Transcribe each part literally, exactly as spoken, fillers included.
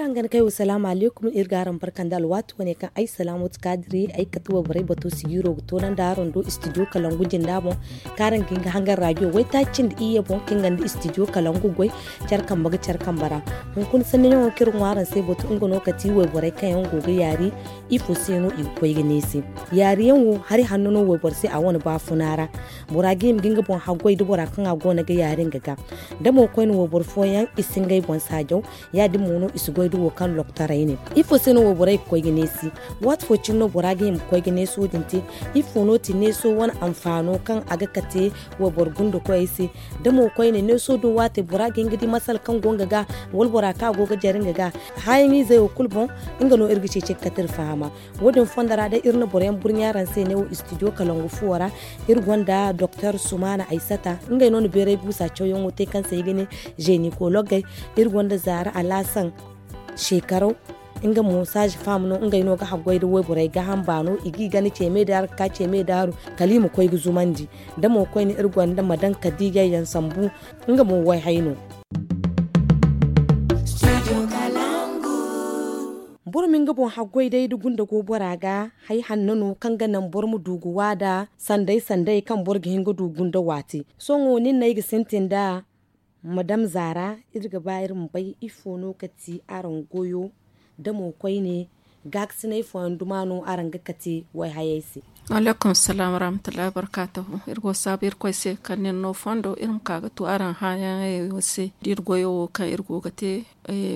Hangan kay wo salaamu aleykum, iri ga araŋ barka nda alwaati wane kaŋ ay salaamu ti kaadiri ay kate wayborey bato sigiiro ga toonandi araŋ do istidiyo kalangu jinda boŋ, kaŋ araŋ ga hin ga hangan raajiyo waytaaci nda iyye boŋ kaŋ nga nda istidiyo kalangu goy care kambe ga care kambe ra. Hunkuna sanniyaŋo kaŋ iri ŋwa araŋ se bato nga no kate wayborey kaŋ yaŋ go ga yaari. Ifo se no i ga koy ga ne se? Yaari yaŋ wo hari hanno no wayboro se a wane baafuna ra. Bora ga hima ga nga boŋ haggoy da bora kaŋ a go no ga yaari nga ga. Da mo koyne wayboro fooyaŋ i si ngey boŋ saajaw. Ya- din mo no i si goy da wo kaŋ loktorey ne. Ifo se no wayborey ga koy ga neesi? Waati fo cine no bora ga hima ga koy ga neeso din te? Ifo no ti neeso wane anfaano kaŋ a ga kate wayboro gundakoyey se? Da mo koyne neeso din waate bora ga hin ga di masala kaŋ go nga ga, wala bora kaŋ a go ga jare nga ga? Haayaŋ izey wo kulu boŋ, nga no iri ga ceeci ga kate iri fahama. Wo- din fondo ra day iri na boroyaŋ burɲa araŋ se ne wo istidiyo kalangu fuwo ra. Iri gonda doktor sumaana aysata, ngey no na beeray guusa cawyaŋo te kaŋ se i ga ne, zeenikologey. Iri gonda zaara alaasan shekaraw, nga mo saazi faam no ngey no ga haggoy nda wayborey gaaham baano i g'i gana ceeme daaru ga ka ceeme daaru, kala i ma koy ga zumandi. Da mo koyne iri gonda madan kadiijey yaŋ sambu, nga mo wayhay no. Boro ma nga boŋ haggoy day da gunda go bora ga. Hay hanno no kaŋ ga naŋ boro ma du ga waada sanday sanday kaŋ boro ga hin ga du gunda waati. Sohõ nin no ay ga sintin nd'a. Madam zaara, iri ga ba iri ma bay ifo no ga ti araŋ goyo, da mo koyne gaakasinay fooyaŋ duma no araŋ ga kate wayhayey se? Waleekum salaam warahmatullahi wabarkaatuhu. Iri go saabu irkoy se kaŋ nin no fondo iri ma ka ga tu araŋ hããyaŋey wo se da iri goyo wo kaŋ iri go ga te.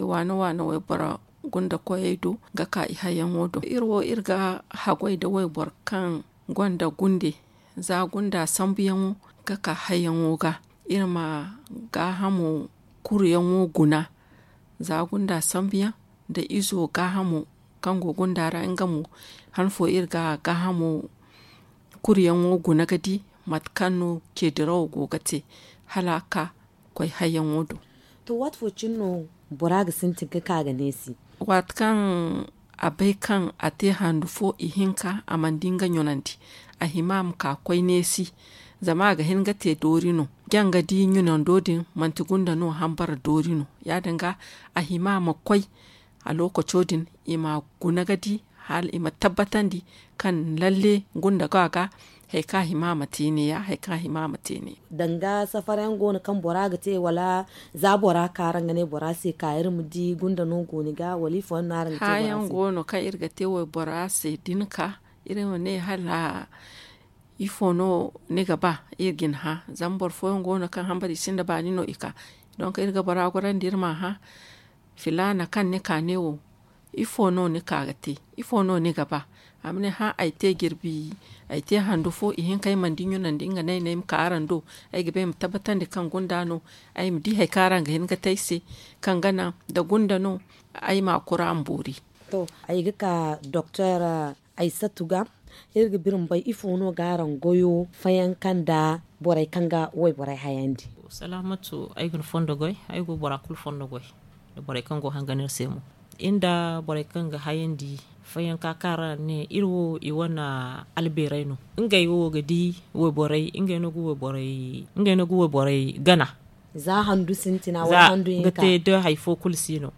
Waane waane wayboro gunda koyey do ga ka i hayyaŋo do. Iri wo iri ga haggoy nda wayboro kaŋ gonda gunde za gunda sambuyaŋo ga ka hayyaŋo ga. Iri ma gaahamo kuruyaŋo guna za gunda sambuyaŋ nda izo gaahamo kaŋ go gunda ra nga mo. Han fo iri ga gaahamo kuruyaŋo guna ga di mate kaŋ no ceedirawo go ga te hala a ka koy hayyaŋo do. To waati fo cine no bora ga sintin ga ka ga neesi? Waati kaŋ a bay kaŋ a te handu fo ihinka a mana di nga ɲunandi, a hima a ma ka koy neesi. Zama a ga hin ga te doori no. Jaŋ ga di ɲunando din manti gunda no hambara doori no. Ya- din ga a hima a ma koy a lookaco din i ma guna ga di hala i ma tabbatandi kaŋ lalle gunda go a ga. Hari kaŋ a hima a ma te ne ya hari kaŋ a hima a ma te ne. Danga safarayaŋ go no kaŋ bora ga te wala za bora ka araŋ ga ne bora se ka iri ma di gunda no go ni ga wala ifo yaŋ no araŋ ga te bora se? Hããyaŋ go no kaŋ iri ga te waybora se da ni ka iri ma ne hala ifo no ni ga ba iri ga ni hã. Zama boro fooyaŋ go no kaŋ hambari sinda baani no i ka. Donk iri ga bora gorandi iri m'a hã filaana kaŋ ni ka ne wo ifo no ni ka ga te? Ifo no ni ga ba? A ma ne hã ay te jirbi ay te handu fo ihinka ay mana di ɲunandi nga no ay ne ay ma ka araŋ do. Ay ga ba ay ma tabbatandi kaŋ gunda no ay ma di hari kaŋ araŋ ga hin ga te ay se kaŋ ga naŋ da gunda no ay ma kura ma boori. To ay ga ka doktor aysatu ga iri ga biri ma bay ifo no ga araŋ goyo fayanka nda borey kaŋ ga wayborey hayandi? Salaamatu, ay ga ni fondo goy. Ay go bora kulu fondo goy da borey kaŋ go hangan iri se mo. Iri nda borey kaŋ ga hayandi fayanka kaŋ araŋ ne iri wo i wane albeerey no. Ngey wo ga di wayborey ngey no ga wayborey gana za handu sintina wala handu hinka ga te da hari fo kulu si no.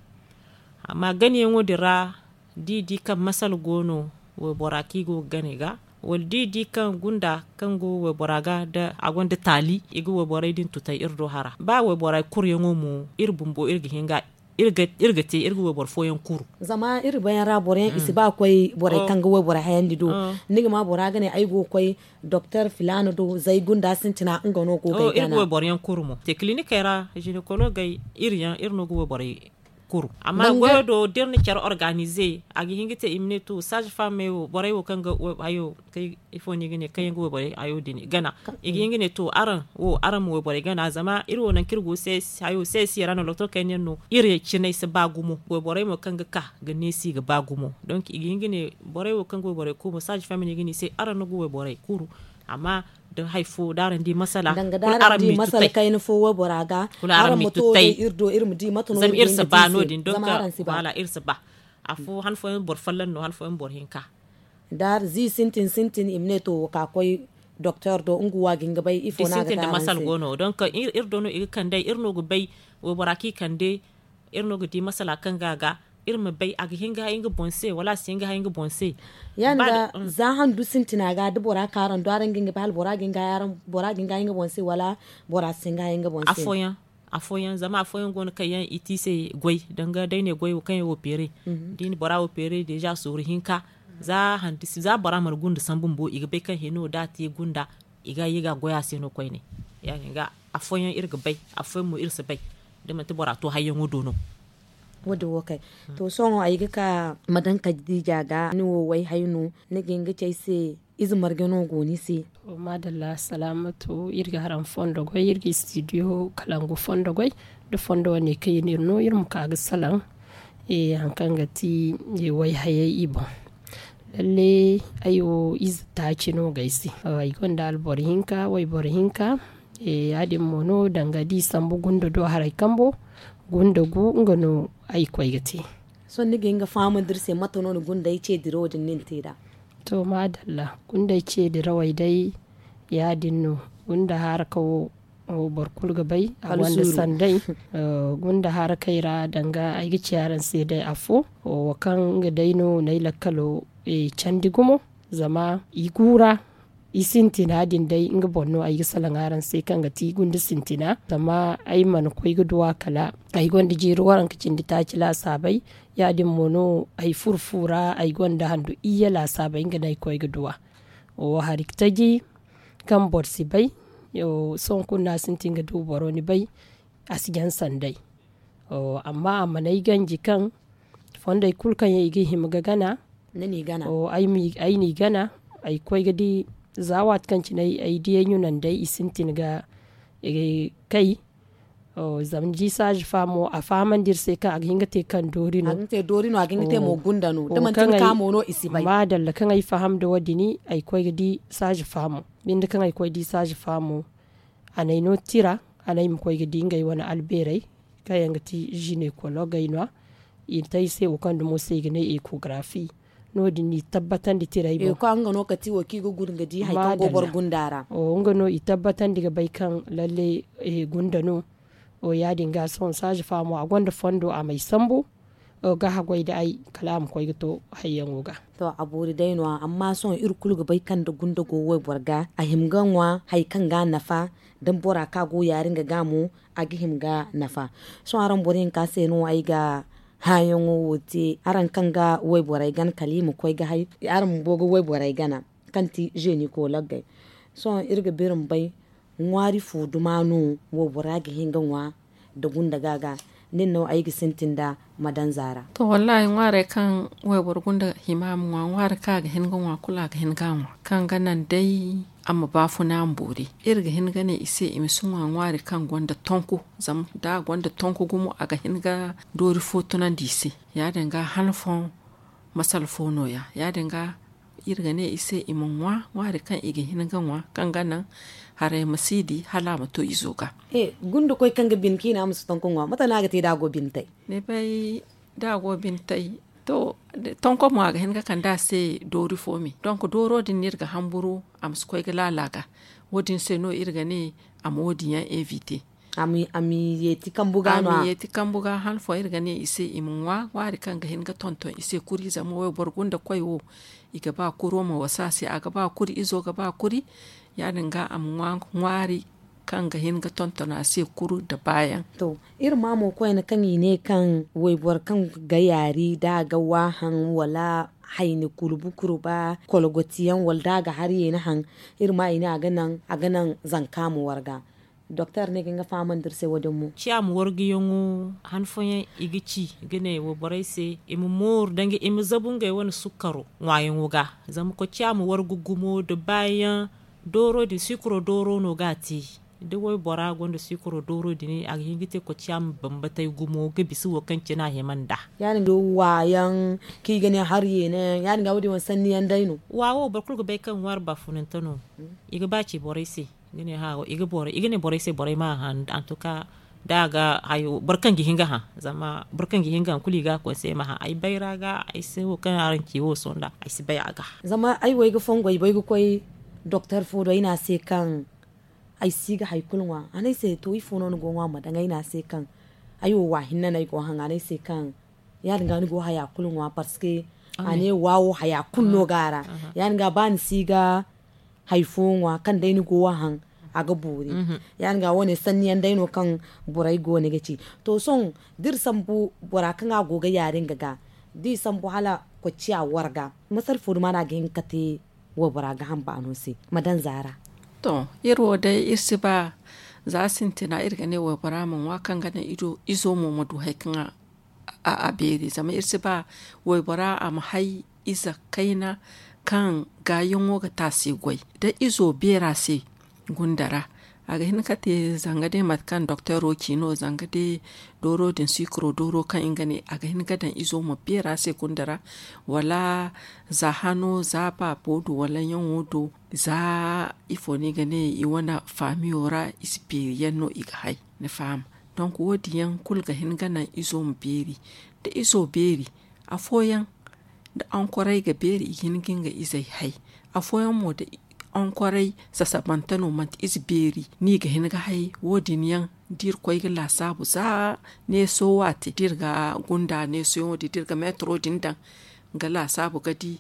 Amma ganayaŋo din ra da i di kaŋ masala go no waybora kaŋ i go ga gana i ga wala da i di kaŋ gunda kaŋ go waybora ga da a gonda taali i ga wayborey din tutay iri do hara ba wayborey kuryaŋo mo iri bumbo iri ga hin ga iri ga te iri ga wayboro fooyaŋ kuru. Zama iri bayaŋ ra boroyaŋ i si ba ga koy borey kaŋ ga wayborey hayandi do. Ni ga ma bora ga ne ay go ga koy doktor filaana do zay gunda sintina nga no go ga ay gana. Iri ga wayboroyaŋ kuru mo te kilinikey ra ginekologey iri yaŋ iri no ga wayborey kuru. Amma goyo do da iri na care organize a ga hin ga te i ma ne to saazi faamey wo borey wo kaŋ ga hayo kay ifo no i ga ne kaŋ yaŋ ga wayborey hayo din gana i ga hin ga ne to araŋ wo araŋ ma wayborey gana zama iri wo nangu kaŋ iri go hayo sesi ra no loktoro kayna yaŋ no iri cinay si ba gumo wayborey mo kaŋ ga ka ga neesi ga ba gumo. Donk i ga hin ga ne borey wo kaŋ ga wayborey kuru mo saazi faamey no i ga ne i se araŋ no ga wayborey kuru. Amma da hari fo da araŋ di masala kulu araŋ ma i tutay kayna fo waybora ga kulu araŋ ma to day iri do iri ma di mate no iri ga hin ga te i se zama araŋ si ba. Afo han fooyaŋ boro folloŋ no han fooyaŋ boro hinka. Da zi sintin sintin i ma ne to wo ka koy doktor do nga wo a ga hin ga bay ifo no a ga te araŋ se. Donk iri do no i ga kande iri no ga bay waybora kaŋ i kande iri no ga di masala kaŋ ga a ga. Iri ma bay a ga hin ga hay nga boŋ se wala a si hin ga hay nga boŋ se. Ya- din ga za handu sintina ga da bora ka araŋ do araŋ ga hin ga bay hala bora ga hin ga hay nga boŋ se wala bora si hin ga hay nga boŋ se. Afooyaŋ zama afooyaŋ go no kaŋ yaŋ i te i se goy danga day ne goy kaŋ yaŋ wo peere. Da i na bora wo peere deeza sooru hinka za bora mana gunda sambu bumbo i ga bay kaŋ hino da a te gunda i ga ye ga a goy a se no koyne. Ya- din ga afooyaŋ iri ga bay afooyaŋ mo iri si bay da manti bora to hayyaŋo do no. Wo- din wo kay. To sohõ ay ga ka ma daŋ kadiija ga ni wo wayhay no ni ga hin ga ci ay se ize marje no go ni se? Maadalla salaamatu iri ga haraŋ fondo goy iri ga istidiyo kalangu fondo goy. Da fondo wane kaŋ i na iri no iri ma ka ga salaŋ hari kaŋ ga ti wayhayey i boŋ. Lalle ay wo ize taaci no ga ay se. Ay gonda alboro hinka wayboro hinka. Ya- din mo no danga da i sambu gunda do haray kambo gunda gu nga no ay koy ga te. Sohõ ni ga hin ga fahamandi iri se mate no ni gundey ce dirawo din ni na te nd'a? To maadalla gundey ce dirawey day ya- din no. Gunda haraka wo boro kulu ga bay a gonda sanday. Gunda harakey ra danga ay ga ci araŋ se day afo wo kaŋ nga day no n'ay lakkalo candi gumo. Zama i guura i sintina din day nga boŋ no ay ga salaŋ araŋ se kaŋ ga ti gunda sintina zama ay mana koy ga duw'a kala ay gonda jiiri waranka cindi taaci laasaabey. Ya- din mo no ay furo fu ra ay gonda handu iyye laasaabey nga no ay koy ga duw'a. Wo hari taji kaŋ boro si bay. Sohõ kulu no a sintin ga du boro ni bay a si jaŋ sanday. Amma a mana ay ganji kaŋ fondey kulu kaŋ yaŋ i ga hima ga gana ay n'i gana ay koy ga di. Za waati kaŋ cine ay diyay ɲunandey i sintin ga kay. Zama ni di saaza faamo a fahamandi iri se kaŋ a ga hin ga te kaŋ doori no a ga hin ga te mo gunda no da manti ni ka mo no i si bay. Maadalla kaŋ ay faham nda wo- din ay koy ga di saaza faamo binde kaŋ ay koy di saaza faamo. A n'ay no tira a n'ay ma koy ga di ngey wane albeerey kaŋ yaŋ ga ti zinekologey no- ya i na te ay se wo kaŋ dumo se i ga ne ekogarafi. No- din no i tabbatandi tirey boŋ. Nga no kati wo kaŋ i ga guna ga di hari kaŋ go boro gunda ra. Nga no i tabbatandi ga bay kaŋ lalle gunda no. Ya- din ga sohõ saaza faamo a gonda fondo a m'ay sambu ga haggoy nda ay kala a ma koy ga to hayyaŋo ga. To a boori day no- ya amma sohõ iri kulu ga bay kaŋ nda gunda go wayboro ga a hima ga ŋwa hari kaŋ ga a nafa. Da bora kaŋ a go yaari nga ga mo a ga hima ga nafa. Sohõ araŋ boro hinka se no ay ga hããyaŋo wo te araŋ kaŋ ga wayborey gana kala i ma koy ga hay araŋ bumbo ga wayborey gana kaŋ ti zeeni koolagey. Sohõ iri ga biri ma bay ŋwaari fo duma no waybora ga hin ga ŋwa nda gunda ga ga? Nin no ay ga sintin nda madanza ra. To wallaahi ŋwaarey kaŋ wayboro gunda hima a ma ŋwa ŋwaari kaŋ a ga hin ga ŋwa kulu a ga hin ga a ŋwa kaŋ ga naŋ day a ma baafuna a ma boori. Iri ga hin ga ne i se i ma si ŋwa ŋwaari kaŋ gonda tonku. Zama da a gonda tonku gumo a ga hin ga doori fo tunandi i se. Ya- din ga han fooyaŋ masala fo no- ya ya- din ga iri ga ne i se i ma ŋwa ŋwaari kaŋ i ga hin ga ŋwa kaŋ ga naŋ haray ma si di hala a ma to izo ga. Gunda koy kaŋ ga bine kaŋ i ne a ma si tonku ŋwa mate no a ga te da a go bine tay? Ni bay da a go bine tay. To tonko mo a ga hin ga kande a se doori fo me donk dooro din no iri ga hamburu a ma si koy ga laala ga. Wo- din se no iri ga ne a ma wo- din yaŋ evite. A ma yeeti kambu ga no- ya a ma yeeti kambu ga han fooyaŋ iri ga ne i se i ma ŋwa ŋwaari kaŋ ga hin ga tonton i se kuri zama wayboro gunda koy wo i ga ba kuro ma wasa a se a ga ba kuri izo ga ba kuri. Ya- din ga a ma ŋwa ŋwaari kaŋ ga hin ga tonton a se kuru nda baayaŋ. To iri ma mo koyne kaŋ i ne kaŋ wayboro kaŋ ga yaari da a ga waahaŋ wala hayni kurbu kurba kolgotiyaŋ wala da a ga har yeeni haŋ. Iri ma i ne a ga naŋ zanka ma warga. Doktor ne ga hin ga fahamandi iri se wo- din mo ciya ma warguyaŋo han fooyaŋ i ga ci ga ne wayborey se i ma mooru danga i ma zabu ngey wane sukkaro ŋwaayaŋo ga. Zama koy ciya ma wargu gumo nda baayaŋ dooro din siikuro dooro no ga a te. Da waybora gonda siikuro dooro din a ga hin ga te koy ciya ma bambatey gumo ga bisa wo kaŋ cine a hima nd'a. Ya- din ga waayaŋ kaŋ i ga ne har yeena yaŋ ya- din ga wo- din wane sanni yaŋ day no. Wa wo boro kulu ga bay kaŋ ŋwaari baafunante no. I ga ba ci borey se ga ne hã i ga ne borey se borey ma hã antuka da a ga hayo boro kaŋ ga hin ga hã. Zama boro kaŋ ga hin ga hã kulu i ga a konse ma hã ay bayra ga ay se wo kaŋ araŋ ci wo sohõ nd'a ay si bay a ga. Zama ay wo ay ga fongo ay bay ga koy doktor fo do ay ne a se kaŋ ay si ga hari kulu ŋwa a ne ay se to ifo no ni go ga ŋwa ma daŋ ay ne a se kaŋ ay wo wa hinne no ay go ga haŋ a ne ay se kaŋ Ya- din ga ni go haya kulu ŋwa parce que a ne wawo haya kulu no ga a ra. Ya- din ga ba ni si ga hari fo ŋwa kaŋ day ni go a haŋ, a ga boori. Ya- din ga wo- ne sanni yaŋ day no kaŋ borey go no ga ci. To sohõ da iri sambu bora kaŋ a go ga yaari nga ga da i sambu hala kocciya warga, masala fo duma no a ga hin ga kate waybora ga hamba no se? Ma daŋ zaara. To, iri wo day iri si ba za sintina iri ga ne waybora ma ŋwa kaŋ ga naŋ izo mo ma du hari kaŋ a beeri zama iri si ba waybora a ma hay ize kayna kaŋ gaayaŋo ga te a se goy da izo beera se. Gunda ra a ga hin ga te zanga day mate kaŋ dokteero ci no zanga day dooro din sikiro dooro kaŋ nga ne a ga hin ga daŋ izo ma beera se gunda ra. Wala za hano za baabo do wala ɲaŋo do za ifo no i ga ne i wane faamiyo ra i si beeri yaŋ no i ga hay. Ni faham? Donk wo- din yaŋ kulu ga hin ga naŋ izo ma beeri da izo beeri. Afooyaŋ da ankoray ga beeri i ga hin ga nga izey hay. Afooyaŋ mo da ankoray sasabante no manti ize beeri no i ga hin ga hay. Wo- din yaŋ da iri koy ga laasaabu za neeso waati da iri ga gunda neesoyaŋo din da iri ga meetaro din daŋ ga laasaabu ga di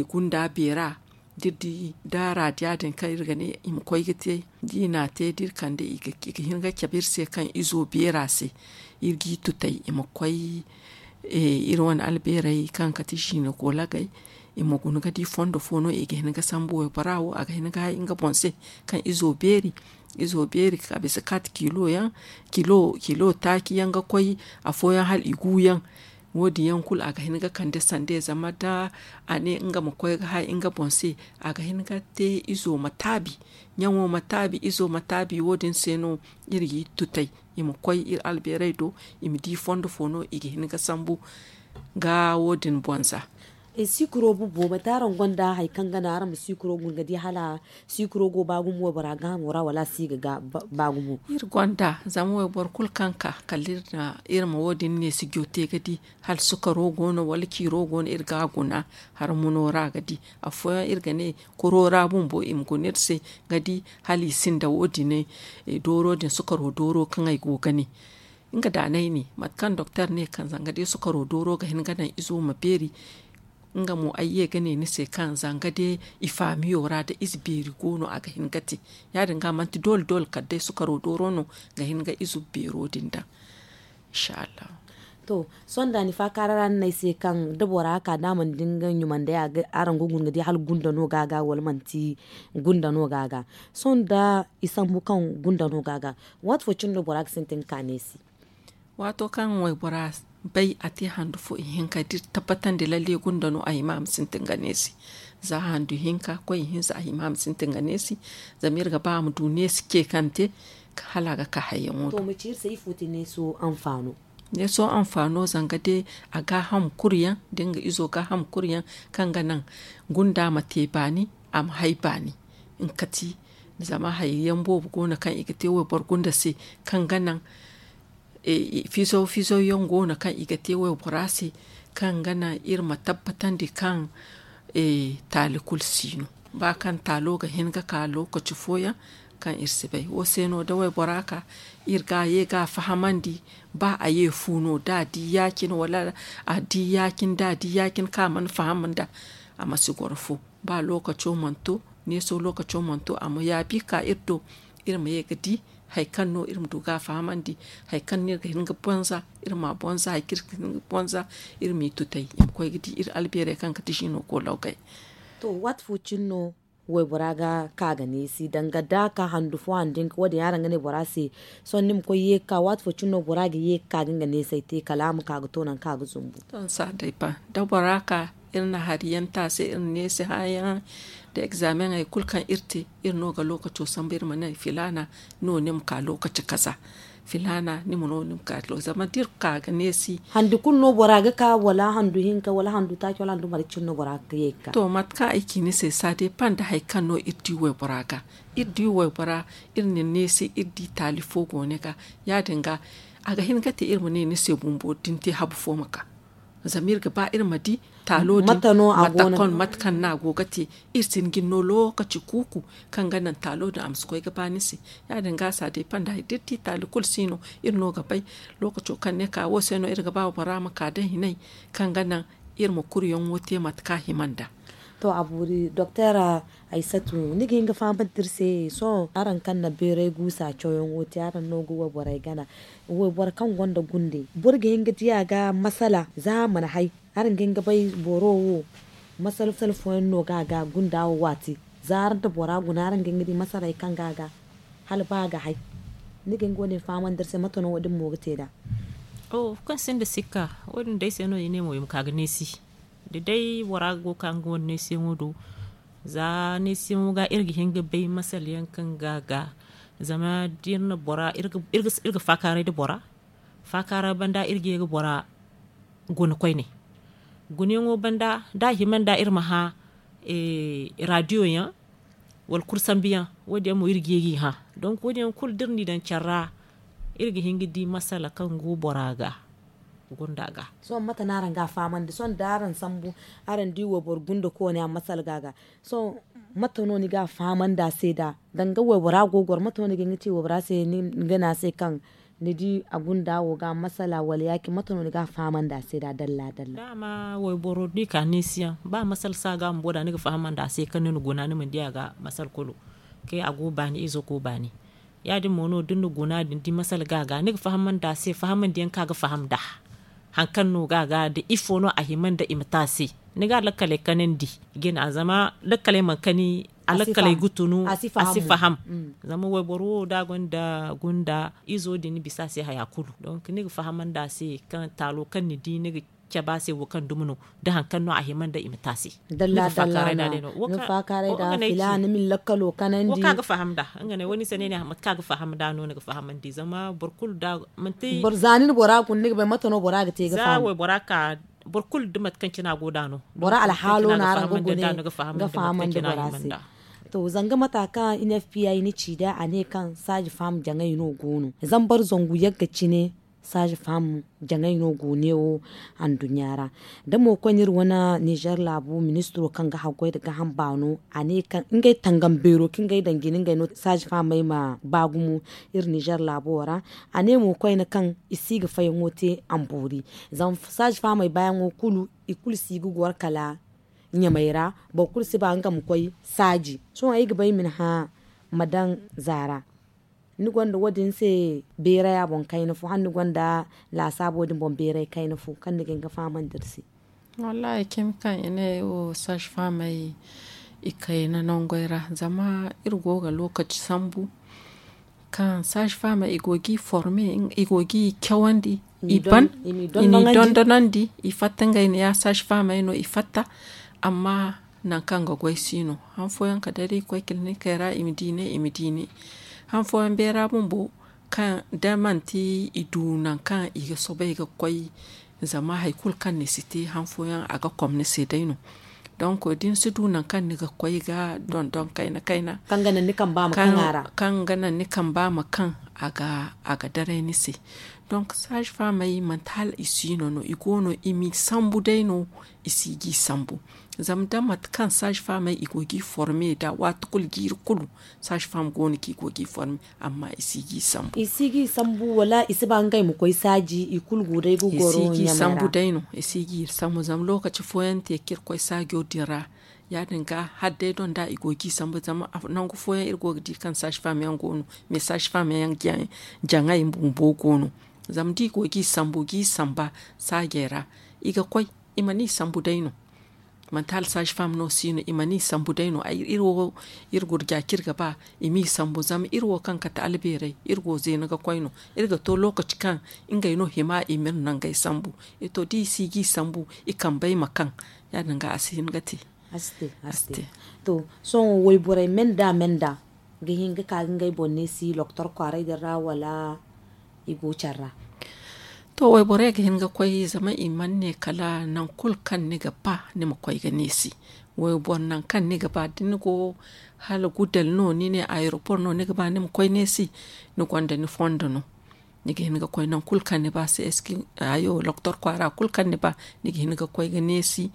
gunda beera da iri di daara diya din kaŋ iri ga ne i ma koy ga te da i n'a te da iri kande i ga hin ga cabe iri se kaŋ izo beera se. Iri g'i tutay i ma koy iri wane albeerey kaŋ kate jiine koolagey i ma guna ga di fondo fo no i ga hin ga sambu waybora wo a ga hin ga hay nga boŋ se kaŋ izo beeri. Izo beeri ka bisa kate kilo yaŋ kilo taaci yaŋ ga koy afooyaŋ hala i gu yaŋ. Wo- din yaŋ kulu a ga hin ga kande sande zama da a ne nga ma koy ga hay nga boŋ se a ga hin ga te izo ma taabi ɲaŋo ma taabi izo ma taabi wo- din se no iri g'i tutay i ma koy iri albeerey do i ma di fondo fo no i ga hin ga sambu ga wo- din boŋ za. Sikiro bumbo manti araŋ gonda hari kaŋ ga naŋ araŋ ma sikiro guna ga di hala sikiro go ba gumo waybora gaahamo ra wala a si ga ba gumo? Iri gonda zama wayboro kulu kaŋ ka kala iri ma wo- din ne sijo te ga di hala sukaro go no wala ciiro go no iri ga a guna. Hari muno ra ga di afooyaŋ iri ga ne kuro ra bumbo i ma guna iri se ga di hala i sinda wo- din dooro din sukaro dooro kaŋ ay go ga ne. Nga da no ay ne mate kaŋ doktor ne kaŋ zanga day sukaro dooro ga hin ga naŋ izo ma beeri. Nga mo ay ye ga ne ni se kaŋ zanga day i faamiyo ra da ize beeri go no a ga hin ga te. Ya- din ga manti doole doole kala day sukaro dooro no ga hin ga izo beero din daŋ. Inshallah. To, sohõ da ni faakaara ra ni ne ay se kaŋ da bora ka da a mana di nga ɲumandey araŋ ga guna ga di hala gunda no ga a ga wala manti gunda no ga a ga? Sohõ da i sambu kaŋ gunda no ga a ga, waati fo cine no bora ga sintin ga ka neesi? Waato kaŋ waybora bay a te handu fo ihinka da iri tabbatandi lalle gunda no a hima a ma sintin ga neesi. Za handu hinka koy ihinza a hima a ma sintin ga neesi. Zama iri ga ba a ma du neesi ce kaŋ te hala a ga ka hayyaŋo do. To ma ci iri se ifo te neeso anfaano? Neeso anfaano zanga day a gaaham kulu yaŋ da nga izo gaaham kulu yaŋ kaŋ ga naŋ gunda ma te baani a ma hay baani. Nga kati zama hari yaŋ boobo go no kaŋ i ga te wayboro gunda se kaŋ ga naŋ fizaw fizaw yaŋ go no kaŋ i ga te waybora se kaŋ ga naŋ iri ma tabbatandi kaŋ taali kulu si no. Ba kaŋ taalo ga hin ga ka lokaci fooyaŋ kaŋ iri si bay wo se no da waybora ka iri ga ye ga fahamandi. Ba a ye fu no da a di ya- cine wala a di ya- cine da a di ya- cine kaŋ a mana faham nda a ma si goro fo. Ba lokaco mana to neeso lokaco mana to a ma yaabi ka iri do iri ma ye ga di hari kaŋ no iri ma du ga a fahamandi. Hari kaŋ no iri ga hin ga bonza iri ma a bonza hari kaŋ iri ga hin ga bonza iri m'i tutay i ma koy ga di iri albeerey kaŋ ga ti siino koolawgay. To waati fo cine no waybora ga ka ga neesi danga da a ka handu fo handu hinka wo- din araŋ ga ne bora se? Sohõ ni ma koy ye ga ka waati fo cine no bora ga ye ga ka ga nga neesey te kala a ma ka ga to nangu kaŋ a ga zumbu. To ni si a day ba da bora ka iri na hari yaŋ te a se iri na neesi hã yaŋ da egzaameŋey kulu kaŋ iri te iri no ga lookaco sambu iri ma ne filaana no ni ma ka lookaci kaza. Filaana ni ma no ni ma ka zama da iri ka ga neesi. Handi kulu no bora ga ka wala handu hinka wala handu taaci wala handu marje cine no bora ga ye ga ka? To mate kaŋ ay ci ni se saade panda hari kaŋ no iri di waybora ga iri di waybora iri na neesi iri di taali fo go ni ga. Ya- din ga a ga hin ga te iri ma ne ni se bumbo da ni te habu fo ma ka. Zama iri ga ba iri ma di taalo din mate kaŋ no a go ga te. Iri si hin ga ni no lookaci kuuku kaŋ ga naŋ taalo din a ma si koy ga ba ni se. Ya- din ga a si a day panda da iri di taali kulu si no iri no ga bay. Lookaco kaŋ ne ka wo se no iri ga ba bora ma ka da hinay kaŋ ga naŋ iri ma kuryaŋo te mate kaŋ a hima nd'a. To a boori doktor, aysatu, ni ga hin ga faham da iri se sohõ araŋ kaŋ na beeray guusa cawyaŋo te araŋ no ga wayborey gana. Wayboro kaŋ gonda gunde boro ga hin ga di a ga masala za a mana hay. Araŋ ga hin ga bay boro wo masala fooyaŋ no ga a ga gunda wo waati za araŋ da bora guna araŋ ga hin ga di masaley kaŋ ga a ga hala ba a ga hay. Ni ga hin ga wo- din fahamandi iri se mate no wo- din mo ga te nd'a? Kaŋ sinda sikka wo- din day se no i ne mo i ma ka ga neesi. Da day bora go ga ka nga wane neesiyaŋo do za neesiyaŋo ga iri ga hin ga bay masala yaŋ kaŋ ga a ga. Zama da iri na bora iri ga faakaaray nda bora faakaara banda iri ga ye ga bora guna koyne. Gunayaŋo banda da a hima nda iri ma hã raadiyo yaŋ wala kulu sambu yaŋ. Wo- din yaŋ mo iri ga ye g'i hã. Donk wo- din yaŋ kulu da iri n'i daŋ care ra iri ga hin ga di masala kaŋ go bora ga gunda ga. Sohõ mate no araŋ ga a fahamandi sohõ da araŋ sambu araŋ di wayboro gunda koone a masala ga a ga. Sohõ mate no ni ga a fahamandi a se nd'a danga waybora go ga goro mate no ni ga hin ga ci waybora se ni ga ne a se kaŋ ni di a gunda wo ga masala wala ya- cine mate no ni ga a fahamandi a se nd'a dalla dalla? Dama wayboro da i ka neesi yaŋ ba masala si a ga bumbo nd'a ni ga fahamandi a se kaŋ ni na guna ni mana di a ga masala kulu. Kay a go baani izo go baani. Ya- din mo no da ni na guna din di masala ga a ga ni ga fahamandi a se fahamandi yaŋ kaŋ a ga faham nd'a. Hari kaŋ no ga a ga nda ifo no a hima nda i ma te a se. Ni ga lakkaley kanandi i ga ne a zama lakkaley mana kani a lakkaley ga tunu a si faham. Zama wayboro wo da a gonda gunda izo din ni bisa a se haya kulu donk ni ga fahamandi a se kaŋ taalo kaŋ ni di ni ga cabe a se wo kaŋ dumi no da hari kaŋ no a hima nda i ma te a se. Dalla dalla no ni faakaaray nda fila ni ma ni lakkalo kanandi. Wo kaŋ a ga faham nd'a nga ne wo ni se no ay ne mate kaŋ a ga faham nd'a no ni ga fahamandi zama boro kulu da manti boro za ni na bora guna ni ga bay mate no bora ga te ga faham. Za waybora ka boro kulu da mate kaŋ cine a go nd'a no. Bora alhaalo no araŋ ga gune ga fahamandi bora se. To zanga mata kaŋ n f p i na ci nd'a a ne kaŋ saaji faham jaŋay no go no zambar zangu yagga cine saaji faham jaŋay no go ne wo. Anduɲɲa ra da mo koy no iri wane nizer laabo ministiro kaŋ ga haggoy nda gaham baano a ne kaŋ ngey tangam beero kaŋ ngey daŋ jine ngey no saaji fahamey ma ba gumo. Iri nizer laabo ra a ne mo koyne kaŋ i si ga fayaŋo te a ma boori. Zama saaji fahamey baayaŋo kulu i kulu si ga goro kala ɲamey ra. Boro kulu si ba nga ma koy saaji sohõ ay ga ba ay ma ni hã ma daŋ za ra. Ni gonda wo- din se beeray a boŋ kayna fo hala ni gonda laasaabo din boŋ beeray kayna fo kaŋ ni ga hin ga fahamandi iri se? Wallaahi cimi kaŋ i ne wo saaji fahamey i kayna nangey ra zama iri go ga lookaci sambu kaŋ saaji fahamey i go g'i forme i go g'i cawandi i ban i n'i dondonandi i fatta ngey ne ya saaji fahamey no i fatta. Amma nangu kaŋ ga goy si no han fooyaŋ kala day da i koy kilinikey ra i ma di ne i ma di ne. Han fooyaŋ beera bumbo kaŋ da manti i du nangu kaŋ i ga soobay ga koy zama hari kulu kaŋ ni si te han fooyaŋ a ga kom ni se day no. Donk da ni si du nangu kaŋ ni ga koy ga dondon kayna kayna kaŋ ga naŋ ni kamba ma kaŋ a ga a ga daray ni se. Donk saaji faamey manti hala i si no no i go no i m'i sambu day no. I si g'i sambu zama da mate kaŋ saaji faamey i go g'i forme nda waati kulu jiiri kulu saaji faam go no kaŋ i go g'i forme. Amma i si g'i sambu i si g'i sambu wala i si ba ngey ma koy saaji i kulu go day ga goro ɲamey ra. I si g'i sambu zama lookaci fooyaŋ te kaŋ iri koy saajo din ra ya- din ga hala day doŋ da i go g'i sambu zama nangu fooyaŋ iri go ga di kaŋ saaji faam yaŋ go no. Mais saaji faam yaŋ jaŋay bumbo go no. Zama da i go g'i sambu g'i samba saajey ra i ga koy i mana i sambu day no. Manti hala saaji faam no si no i mana i sambu day no iri wo iri gurja kaŋ iri ga ba i m'i sambu zama iri wo kaŋ kate albeerey iri go zeena ga koy no. Iri ga to lookaci kaŋ ngey no hima i ma iri nangey sambu. To da i si g'i sambu i kambey ma kaŋ ya- din ga a si hin ga te. A si te a si te. To sohõ wayborey me nda me nda ga hin ga ka ga ngey boŋ neesi lokotor kwaaray din ra wala i go care ra? To wayborey ga hin ga koy zama i mana ne kala nangu kulu kaŋ ni ga ba ni ma koy ga neesi. Wayboro nangu kaŋ ni ga ba da ni go hala gudel no ni ne ayeropor no ni ga ba ni ma koy neesi. Ni gonda ni fondo no. Ni ga hin ga koy nangu kulu kaŋ ni ba se eski hayo doktor kwaara kulu kaŋ ni ba, ni ga hin ga koy ga neesi.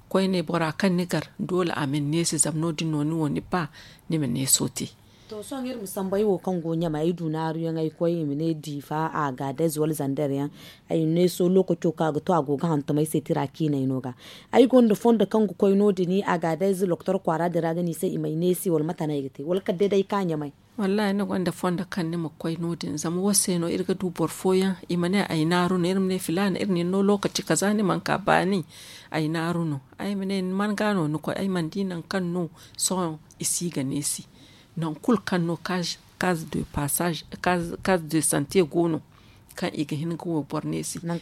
Koyne bora kaŋ ni gar doole a ma ni neesi zama no- din no ni wo ni ba ni ma neeso te. To sohõ iri ma sambu ay wo kaŋ go ɲamay ay du naaru yaŋ ay koy i ma ne diifa a ga dayze wala zander yaŋ. Ay neeso lookaco kaŋ a ga to a go ga hantum ay se tira ciinay no ga. Ay gonda fondo kaŋ ga koy no- din a ga dayze doktor kwaara din ra ga ne i se i ma ay neesi wala mate no ay ga te wala kala day day ay ka ɲamay? Wallaahi ni gonda fondo kaŋ ni ma koy no- din zama wo se no iri ga du boro fooyaŋ i ma ne ay naaru no iri ma ne filaana iri na ni no lookaci kaza ni mana ka baani. Ay naaru no ay ma ne ni man ga no ni koy ay mana di nangu kaŋ no. Sohõ i si ga neesi nangu kulu kaŋ no kaz de pasaaz kaz de sante go no. Kaŋ i ga hin ga wo boro neesi nangu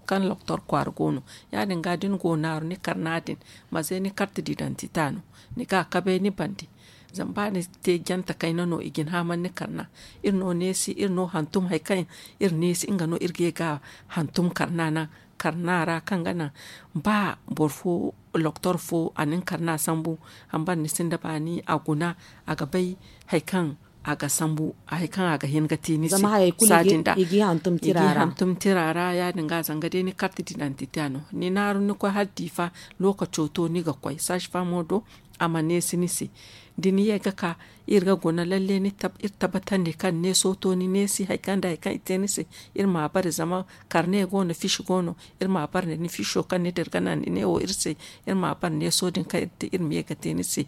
kaŋ loktor kwaara go no. Ya- din ga da ni go naaru ni karna din maze ni karti didantita no. Ni ga a kabay ni bande. Zama ba ni te jante kayna no i ga ni haaman ni karna. Iri no neesi iri no hantum hari kaŋ iri neesi nga no iri ga ye ga hantum karna naŋ. Karna ra kaŋ ga naŋ ba boro fo loktor fo a na ni karna sambu. Hambara ni sinda baani a guna a ga bay hari kaŋ a ga sambu hari kaŋ a ga hin ga te ni se. Saadin da i ga i hantum tira ra ya- din ga zanga day ni karti didantita no ni naaru ni koy hala diifa. Lookaco to ni ga koy saazifamo do a ma neesi ni se. Da ni ye ga ka iri ga guna lalle iri tabbatandi kaŋ neeso to ni neesi hari kaŋ da hari kaŋ i te ni se. Iri ma a bare zama karne go no fiisi go no. Iri ma a bare nda ni fiiso kaŋ ni dira ga naŋ ni ne wo iri se. Iri ma a bare neeso din kaŋ iri te iri ma ye ga te ni se.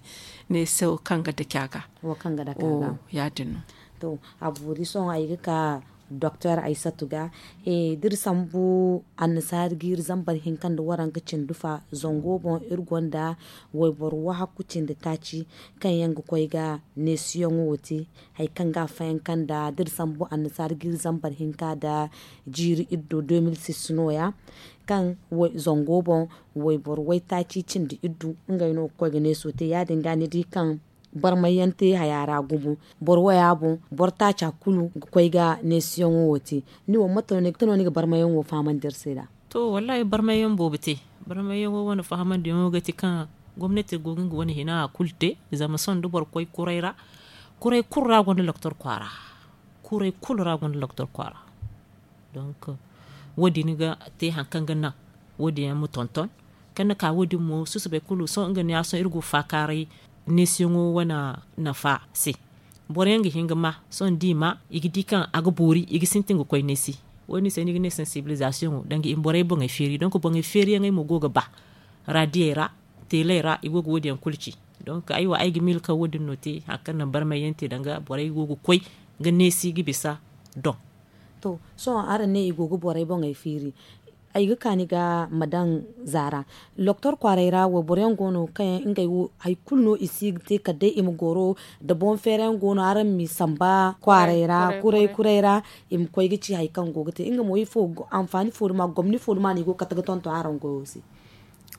Neeso kaŋ ga dake a ga. Ya- din no. To a boori sohõ ay ga ka doktor aysatu ga da iri sambu annasaari ga iri zambar hinka nda waranka cindi fa zango boŋ iri gonda wayboro wahakku cindi taaci kaŋ yaŋ ga koy ga neesiyaŋo wo te. Hari kaŋ ga a fayanka nda da iri sambu annasaari ga iri zambar hinka nda jiiri iddo deux mille six no- ya kaŋ zango boŋ wayboro waytaaci cindi iddu ngey no ga koy ga neeso te ya- din ga ni di kaŋ barmay yaŋ te haya ra gumo. Boro waya boŋ boro taaca kulu ga koy ga neesiyaŋo wo te. Ni wo mate no ni ga barmay yaŋ wo fahamandi iri se nd'a? To wallaahi barmay yaŋ boobo te. Barmay yaŋo wane fahamandiyaŋo ga ti kaŋ gomnati go ga nga wane hina a kulu te. Zama sohõ da boro koy kuray ra kuray kulu ra gonda doktor kwaara. Kuray kulu ra gonda doktor kwaara. Donk wo- din ga te hari kaŋ ga naŋ wo- din yaŋ ma tonton. Kaŋ ni ka wo- din mo susubay kulu sohõ nga ne ya sohõ iri go faakaaray neesiyaŋo wane nafa se. Boro yaŋ ga hin ga ma sohõ da i ma i ga di kaŋ a ga boori i ga sintin ga koy neesi. Wo- din se ni ga ne sansibilizasiyoŋo danga i ma borey boŋey feeri donk boŋey feeriyaŋey mo go ga ba. Raadiyey ra teeley ra i go ga wo- din yaŋ kulu ci. Donk ay wo ay ga miila kaŋ wo- din no te hari kaŋ naŋ barmay yaŋ te danga borey go ga koy ga neesi ga bisa. Doŋ. To sohõ araŋ ne i go ga borey boŋey feeri. Ay ga ka ni ga ma daŋ zaara doktor kwaaray ra wayboro yaŋ go no kaŋ yaŋ ngey wo hari kulu no i si ga te kala day i ma goro. Da boŋ feera yaŋ go no araŋ m'i samba kwaaray ra kuray kuray ra i ma koy ga ci hari kaŋ go ga te nga mo ifo anfaani fo duma gomni fo duma no i go ga kate ga tonton araŋ goyo se?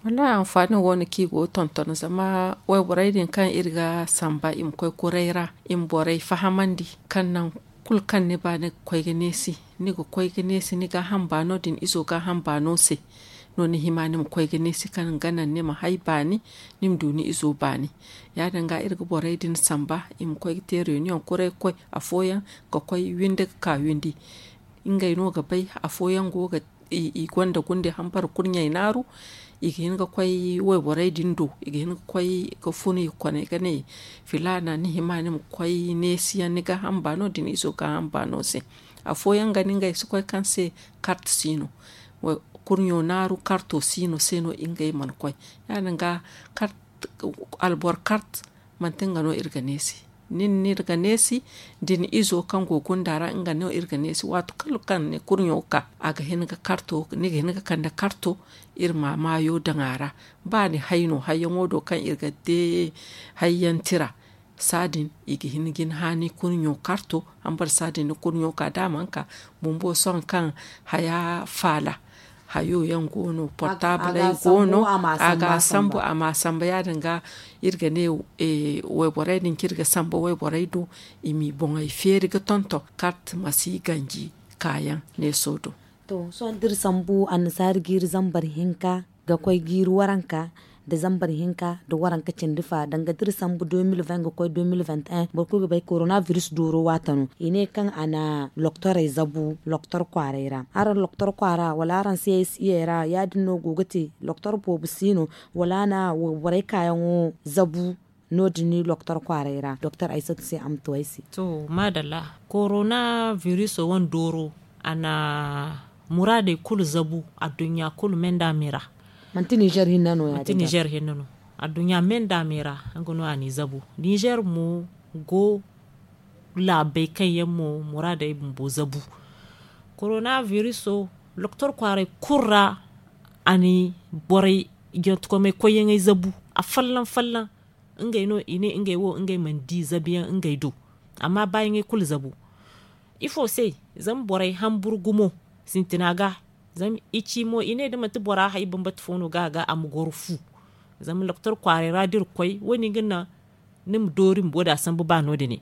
Wallaahi anfaani wo no kaŋ i go ga tonton zama wayborey din kaŋ iri ga samba i ma koy kuray ra i ma borey fahamandi kaŋ naŋ kulu kaŋ ni ba ni ga koy ga neesi ni ga koy ga neesi ni gaaham baano da ni izo gaaham baano se. No ni hima ni ma koy ga neesi kaŋ ga naŋ ni ma hay baani ni ma du ni izo baani. Ya- din ga iri ga borey din samba i ma koy ga te reunion kuray ga koy afooyaŋ ga koy windi ga ka windi. Ngey no ga bay afooyaŋ go ga i gonda gunde hambara kurɲey naaru. I ga hin ga koy wayborey din do i ga hin ga koy ga fun i kone ga ne filaana ni hima ni ma koy neesi yaŋ ni gaaham baano da ni izo gaaham baano se. Afooyaŋ ga ni ngey si koy kaŋ se kart si no. Kurɲo naaru karto si no se no ngey mana koy. Ya- din ga kart albor kart manti nga no iri ga neesi. Nin no iri ga neesi da ni izo kaŋ go gunda ra nga no iri ga neesi waati kulu kaŋ ni kurɲo ka a ga hin ga karto ni ga hin ga kande karto. Iri ma maayo daŋ a ra ba ni hay no hayyaŋo do kaŋ iri ga te hayyaŋ tira. Saadin i ga hin ga ni haani kurɲo karto hambara saadin ni kurɲo ka da a mana ka bumbo sohõ kaŋ haya faala hayo yaŋ go no portabley go no. A ga a sambu a ma a samba ya- din ga iri ga ne wayborey din kaŋ iri ga samba wayborey do i m'i boŋey feeri ga tonton kart ma si ganji kaayaŋ neeso do. To sohõ da iri sambu annasaari ga iri zambar hinka ga koy ga iri waranka Dezambar hinka nda waranka cindi fa danga da iri sambu deux mille vingt ga koy deux mille vingt et un boro kulu ga bay korona biris dooro waati no i ne kaŋ a na loktorey zabu loktor kwaaray ra araŋ loktor kwaara wala araŋ si ay si iyey ra ya- din no go ga te loktor boobo si no wala a na wayborey kaayaŋo zabu. No- din loktor kwaaray ra doktor aysatu se a ma tu ay se. To maadalla, korona biriso wane dooro a na muraadey kulu zabu adduɲɲa kulu me nda a me ra. Manti ninzeer hinne no ya- din ga ninzeer hinne no. Adduɲɲa me nda a me ra nga no a n'i zabu. Ninzeer mo go laabey kaŋ yaŋ mo muraadey bumbo zabu. Korona biriso doktor kwaaray kulu ra a na borey jantukomey koyyaŋey zabu. Afolloŋ folloŋ ngey no i ne ngey wo ngey mana di zabuyaŋ ngey do. Amma baayaŋey kulu zabu. Ifo se? Zama borey hamburu gumo sintina ga. Zama i ci mo i ne da manti bora hay bambata fo no ga a ga a ma goro fu. Zama doktor kwaaray ra da iri koy wo- din ga naŋ ni ma doori ma boda sambu ba no- din.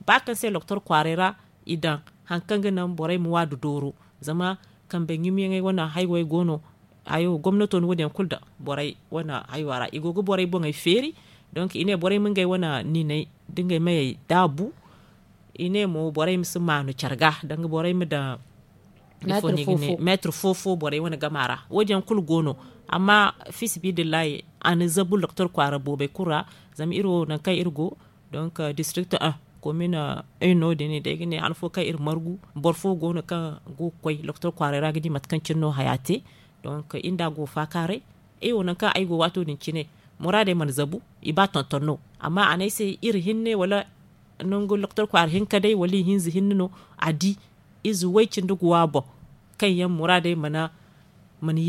Ba kaŋ se doktor kwaaray ra i daŋ hari kaŋ ga naŋ borey ma waadu dooro. Zama kambe ɲumyaŋey wane haywey go no. Hayo gomnato na wo- din yaŋ kulu daŋ borey wane haywa ra i go ga borey boŋey feeri. Donk i ne borey ma ngey wane niiney da ngey mayey daabu. I ne mo borey ma si maanu care ga danga borey ma daŋ meetir fo fo borey wane gama ra wo- din yaŋ kulu go no. Amma fi sabiilillahi a na zabu doktor kwaara boobey kulu ra. Zama iri wo nangu kaŋ iri go donk district un komin un no- din day ga ne han fo kaŋ iri margu boro fo go no kaŋ go ga koy doktor kwaaray ra ga di mate kaŋ cine no haya te. Donk iri nda a go faakaaray. Ay wo nangu kaŋ ay go waato din cine muraadey mana zabu i ba tonton no. Amma a ne ay se iri hinne wala nangu doktor kwaara hinka day wala ihinza hinne no a di ize way cindi ga wa boŋ kaŋ yaŋ muraadey mana mana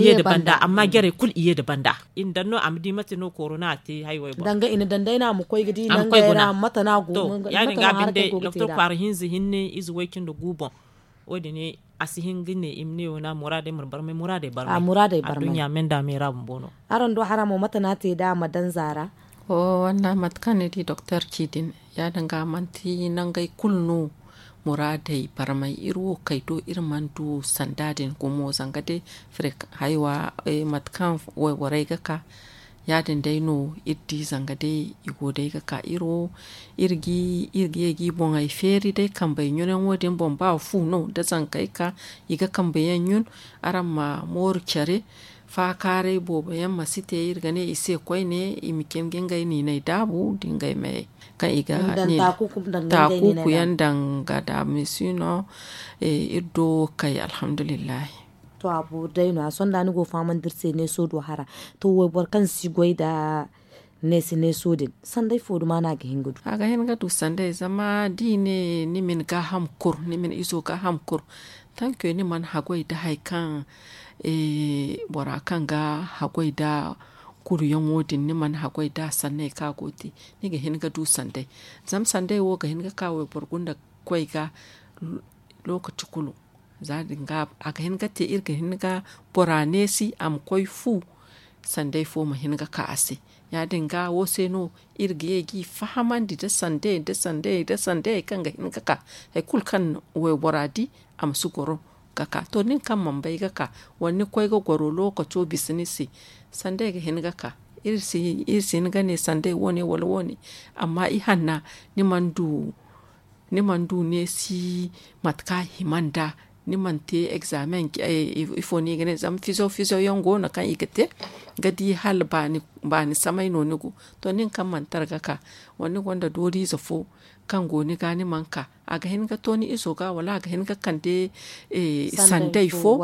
ye nda banda amma jarey kulu i ye nda banda. I na daŋ no a ma di mate no korona a te haywey boŋ. Danga i na daŋ day no a ma koy ga di nangey ra mate no a go. Ya- din ga binde doktor kwaara hinza hinne ize way cindi gu boŋ. Wo- din a si hin ga ne i ma ne wo no a muraadey mana barmay muraadey barmay. Adduɲɲa me nda a me ra bumbo no. Araŋ do hara mo mate no a te da a ma daŋ zaara? Walla mate kaŋ ni di doktor ci din ya- din ga manti nangey kulu no. Muraadey barmay iri wo kay do iri mana du sanda din gumo zanga day haywa mate kaŋ wayborey ga ka. Ya- din day no iri di zanga day i go day ga ka iri wo iri ga ye ga i boŋey feeri day kambey ɲunayaŋo din boŋ ba fu no da zankey ka i ga kambe yaŋ ɲun. Araŋ ma mooru care faakaaray boobo yaŋ ma si te iri ga ne i se koyne i ma cin ga ngey niiney daabu da ngey mayey kaŋ i ga taakuuku yaŋ daŋ ga daamisi no. Iri do wo kay alhamdulillahi. To a boori day no- ya sohõ da ni go fahamandi iri se neeso do hara. To wayboro kaŋ si goy nda neesi neeso din sanday fo duma no a ga hin ga du? A ga hin ga du sanday zama da i ne ni ma ni gaaham kur ni ma ni izo gaaham kur tanke ni mana haggoy nda hari kaŋ bora kaŋ ga haggoy nda kuruyaŋo din ni mana haggoy nda sanney kaŋ a go ga te. Ni ga hin ga du sanday zama sanday wo ga hin ga ka wayboro gunda ga koy ga lookaci kulu. Za- din ga a ga hin ga te iri ga hin ga bora neesi a ma koy fu sanday fo ma hin ga ka a se. Ya- din ga wo se no iri ga ye ga i fahamandi nda sanday nda sanday nda sanday hari kaŋ ga hin ga ka hari kulu kaŋ waybora di a ma si goro ga ka to nin kaŋ mana bay ga ka wala ni koy ga goro lookaco bisa ni se sanday ga hin ga ka. Iri si hin ga ne sanday wo- ne wala wo- ne amma ihanna ni mana du ni mana du neesi mate kaŋ a hima nd'a ni mana te egzaameŋ ifo no i ga ne zama fizo fizo yaŋ go no kaŋ i ga te ga di hala baani samay no ni go. To nin kaŋ mana tara ga ka wala ni gonda dooriize fo kaŋ go ni ga ni mana ka a ga hin ga to ni izo ga wala a ga hin ga kande sanday fo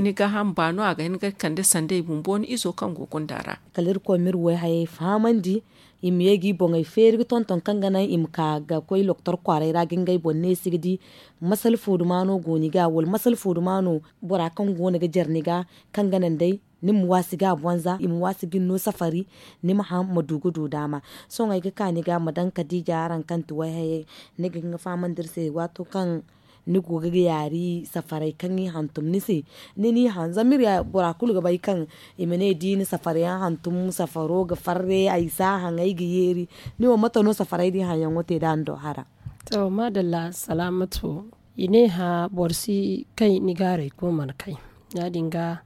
ni gaaham baano a ga hin ga kande sanday bumbo ni izo kaŋ go gunda ra. Kala irkoy ma iri wayhayey fahamandi i ma ye ga i boŋey feeri ga tonton kaŋ ga naŋ i ma ka ga koy loktor kwaaray ra ga ngey boŋ neesi ga di masala fo duma no go ni ga wala masala fo duma no bora kaŋ go no ga jare ni ga kaŋ ga naŋ day ni ma waasi ga a bonza i ma waasi ga ni no safari ni ma haŋ ma du ga du daama. Sohõ ay ga ka ni ga ma daŋ kadiija araŋ kaŋ ti wayhayey ni ga hin ga fahamandi iri se waato kaŋ ni go ga yaari safaray kaŋ i hantum ni se ni n'i haŋ zama iri bora kulu ga bay kaŋ i ma ne da i na safar yaŋ hantum safaro ga farre ay si a haŋ ay ga yeeri. Ni wo mate no safaray da i haŋ yaŋo te da ni do hara? To maadalla salaamatu i ne hã boro si kay ni gaaray kulu mana kay ya- din ga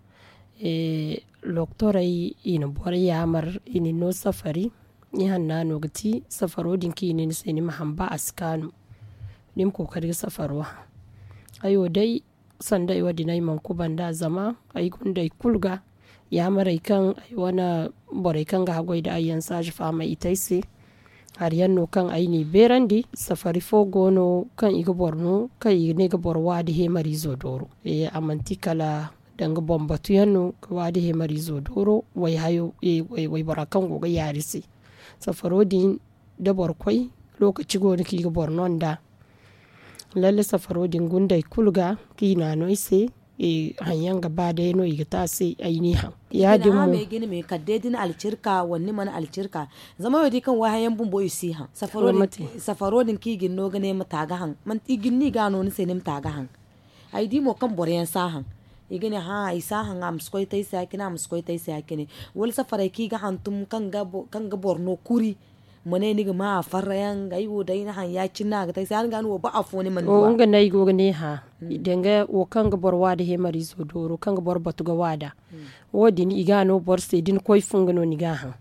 Doktorey i na borey yaamar i na ni no safari. Ni hanna no ga ti safaro din kaŋ i ne ni se ni ma haŋ ba a si kaanu. Ni ma kookari ga safaro haŋ. Ay wo day sanda ay wo- din ay mana kubanda zama ay gundey kulu ga yaamarey kaŋ ay wane borey kaŋ ga haggoy nda ay yaŋ saaji fahamey i te ay se. Hari yaŋ no kaŋ ay n'i beerandi safari fo go no kaŋ i ga boro no kaŋ i ga ne ga boro waadi heemariizo dooro. A manti kala danga boŋ batu yaŋ no ga waadi heemariizo dooro waybora kaŋ go ga yaari se. Safaro din da boro koy lookaci go no kaŋ i ga boro no nd'a. Lalle safaro din gundey kulu ga kaŋ i na a no ay se. Haŋ yaŋ ga ba day no i ga te a se ay n'i haŋ. Ya- din mo. Kala day da ni alcirka wala ni mana alcirka. Zama ay wo di kaŋ wayhayaŋ bumbo i si haŋ. Safaro din kaŋ i ga ni no ga ne ma ta ga haŋ. I ga ni no i ga a no ni se ni ma ta ga haŋ. Ay di mo kaŋ boro yaŋ si a haŋ. I ga ne hã ay si a haŋ a ma si koy te ay se ya- cine a ma si koy te ay se ya- cine. Wala safarey kaŋ i ga hantum kaŋ ga boro no kuri. Ma ne ni ga ma a farra yaŋ ay wo day ni haŋ ya- cine no a ga te ay se ya- din ga ni wo ba afo ni mana du a. Nga no ay go ga ne hã. Danga wo kaŋ ga boro waada heemariizo dooro kaŋ ga boro batu ga waada. Wo- din i ga a no boro se da ni koy fu nga no ni ga a haŋ.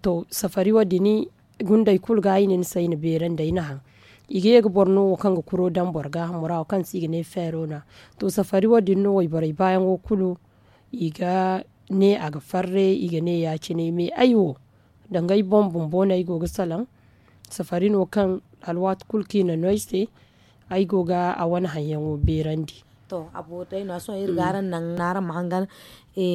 To safari wo- din gundey kulu ga ay ne ni se ay na beerandi ay na haŋ. I ga ye ga boro no wo kaŋ ga kuro daŋ boro gaahamo ra wo kaŋ se i ga ne feero no. To safari wo- din no wayborey baayaŋo kulu i ga ne a ga farre i ga ne ya- cine me ay wo. Danga ay boŋ bumbo no ay go ga salaŋ. Safari no kaŋ alwaati kulu kaŋ i na no ay se. Ay go ga a wane haŋ yaŋo beerandi. To a boori day no a sohõ iri ga araŋ naŋ araŋ ma hangan.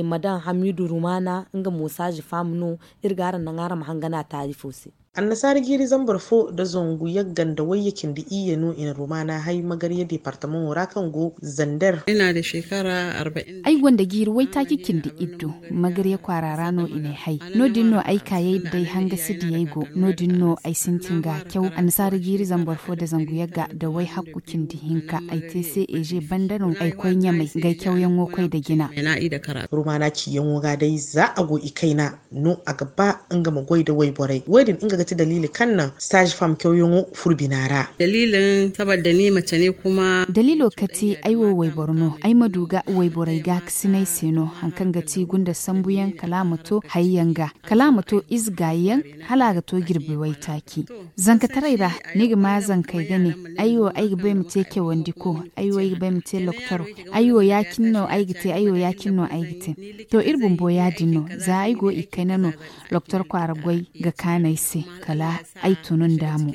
Ma daŋ hamiidu rumaana nga mo saaji faama no. Iri ga araŋ naŋ araŋ ma hangan a taarifo se. Annasaara jiiri zambar fo nda zangu yagga nda wayye cindi iyye no i na rumaana hay magarya deepartamaŋo ra kaŋ go zander. Ay gonda jiiri waytaaci cindi iddu. Magarya kwaara ra no i n'ay hay. No- din no ay kaayey nda ay hangasi diyey go. No- din no ay sintin ga caw annasaara jiiri zambar fo nda zangu yagga nda wayhakku cindi hinka ay te se eeze banda no ay koy ɲamay nga ay cawyaŋo koy nda jina. Rumaana ciyaŋo ga day za a go i kayna no a ga ba nga ma goy nda wayborey wo- din nga ga ti daliili kaŋ naŋ saaji fam cawyaŋo furo bina ra. Daliilo kate ay wo wayboro no ay ma du ga wayborey gaakasinay se no hari kaŋ ga ti gunda sambuyaŋ kala a ma to hayyaŋ ga kala a ma to ize gaayi yaŋ hala a ga to jirbi waytaaci. Zankataray ra ni ga ma zankey ga ne ay wo ay ga ba ay ma te cawandiko ay wo ay ga ba ay ma te loktoro. Ay wo ya- cine no ay ga te ay wo ya- cine no ay ga te. To iri bumbo ya- din no za ay go i kayna no. Loktoro kwaara goy ga kaanu ay se kala ay tun nd'a mo.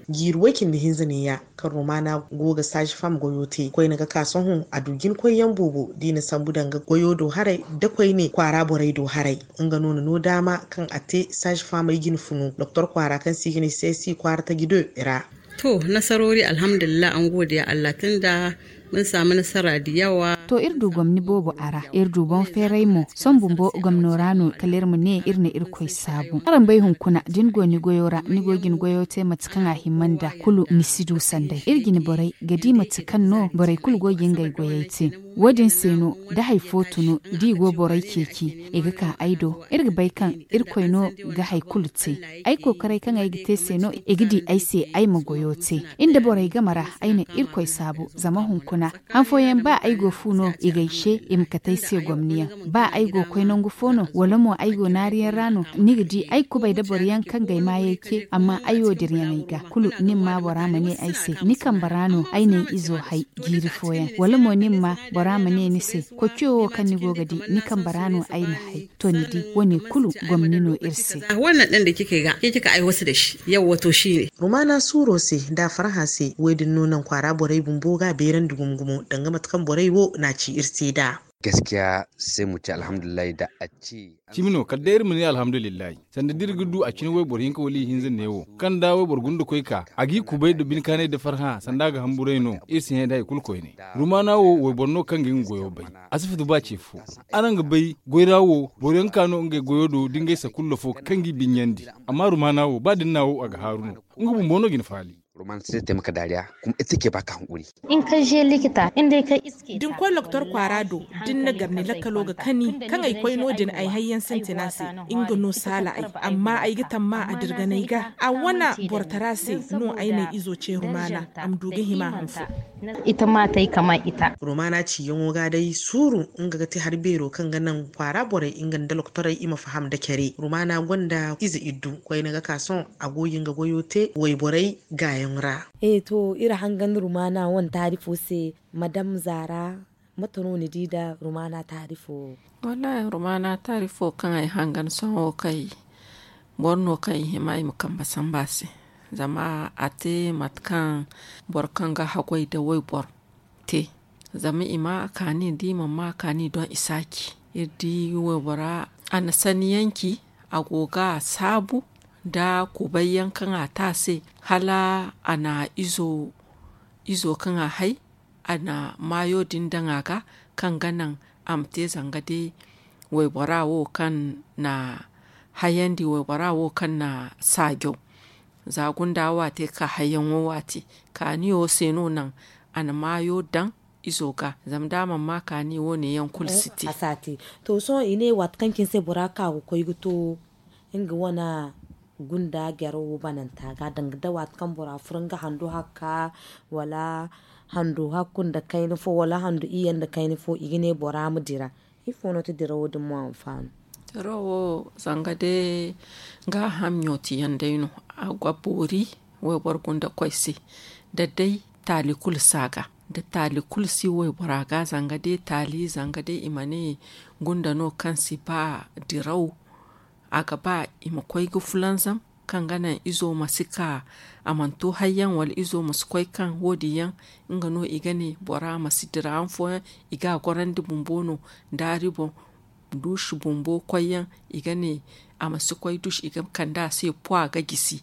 Jiiri way cindi hinza neeya kaŋ rumaana go ga saaji fam goyo te koyne ga ka sohõ a du jinkoyyaŋ boobo da i na sambu danga goyo do haray nda koyne kwaara borey do haray. Nga no na no daama kaŋ a te saaji famey jine funu doktor kwaara kaŋ se i ga ne se si kwaara taji do ra. To nasaroori alhamdulillahi an godiya allah tun da mun samu nasara da yawa. To iri du gomni boobo a ra iri du boŋ feeray mo sohõ bumbo gomno ra no kala iri ma ne iri na irkoy saabu araŋ bay hunkuna da ni go ni goyo ra ni go ga ni goyo te mate kaŋ a hima nd'a kulu ni si du sanday iri jine borey ga di mate kaŋ no borey kulu go ga ngey goyey te. Wo- din se no da hari fo tun da i go borey ceeci i ga ka ay do iri ga bay kaŋ irkoy no ga hari kulu te. Ay kookaray kaŋ ay ga te se no i ga di ay se ay ma goyo te. Iri nda borey game ra ay na irkoy saabu zama hunkuna han fooyaŋ ba ay go fu no i ga ay se i ma kate ay se gomniyaŋ. Ba ay go ga koy nangu fo no wala mo ay go naariyaŋ ra no ni ga di ay kubay nda boro yaŋ kaŋ ga ay maayey ce amma ay wo dirayaŋey ga kulu ni ma ma bora ma ne ay se ni kambe ra no ay na ay izo hay jiiri fooyaŋ wala mo ni ma ma bora ma ne ni se koociyo wo kaŋ ni go ga di ni kambe ra no ay na hay. To ni di wo- ne kulu gomni no iri se. Rumaana suuro se nda a farhã se wo- din no naŋ kwaara borey bumbo ga a beerandi gumo gumo danga mate kaŋ borey wo na a ci iri se nd'a. Gaskiya sai mu ce alhamdulillahi da a ce. Cimi no kala day iri ma ne alhamdulillahi. Sanda da iri ga du a cine wayboro hinka wala ihinza neewo kaŋ da wayboro guna nda koy ka a g'i kubay nda bine kaanay nda farhã sanda a ga hamburay no iri si hẽ nda hari kulu koyne. Rumaana wo wayboro no kaŋ ga nga goyo bay. A si fiti ba ce fo. Araŋ ga bay goy ra wo boro yaŋ ka no ngey goyo do da ngey sakullo fo kaŋ g'i binyandi. Amma rumaana wo ba da ni na wo a ga haaru no. Nga bumbo no ga ni faali. Rumaana si te taimaka dariya kuma ita ke baka hankuri. In ka je likita in dai ka iske da ni koy doktor kwaara do da ni na gar ni lakkalo ga kani kaŋ ay koy no- din ay hayyaŋ sintina se. Nga no saala ay amma ay ga tamma a dirganay ga a wane borotara se no ay na ay izo ce rumaana a ma du ga hima hanfo. Ita ma tay kama ita. Rumaana ciyaŋo ga day suuru nga ga ti hari beero kaŋ ga naŋ kwaara borey nga nda lokotorey i ma faham nda care. Rumaana gonda ize iddu koyne ga ka sohõ a go ga nga goyo te wayborey gaayaŋ ra. E to iri hangan rumaana wane taari fo se. Madam zaara, mate no ni di nda rumaana taari fo wo? Wallaahi rumaana taari fo kaŋ ay hangan sohõ kay boro no kaŋ i hima i ma kambe samba se. Zama a te mate kaŋ boro kaŋ ga haggoy nda wayboro te. Zama i ma a kaani nda i mana ma a kaani doŋ i si a ci. Iri di waybora a na sanni yaŋ ci. A go ga a saabu nda kubay yaŋ kaŋ a te a se hala a na izo kaŋ a hay a na maayo din daŋ a ga kaŋ ga naŋ a ma te zanga day waybora wo kaŋ na hayandi waybora wo kaŋ na saajo. Za gunda wo a te ka hayyaŋo wo a te kaaniyo se no naŋ a na maayo daŋ izo ga. Zama da a mana ma kaani wo- ne yaŋ kulu si te. To sohõ i ne waati kaŋ cine se bora ka ga koy ga to nga wane gunda jaro wo bananta ga danga da waati kaŋ bora furo nga hando hakka wala hando hakku nda kayna fo wala hando iyye nda kayna fo i ga ne bora ma dira. Ifo no ti dirawo din mo anfaano? Dirawo zanga day gaaham ɲootiyaŋ day no. A ga boori wayboro gunda koy se da day taali kulu si a ga da taali kulu si waybora ga zanga day taali zanga day i ma ne gunda no kaŋ si ba diraw. A ga ba i ma koy ga fulanzam kaŋ ga naŋ izo ma si ka a mana to hayyaŋ wala izo ma si koy kaŋ wo- din yaŋ nga no i ga ne bora ma si dira han fooyaŋ. I ga a gorandi bumbo no daari boŋ duusi bumbo koyyaŋ i ga ne a ma si koy duusi i ga kande a se puwa ga gisi.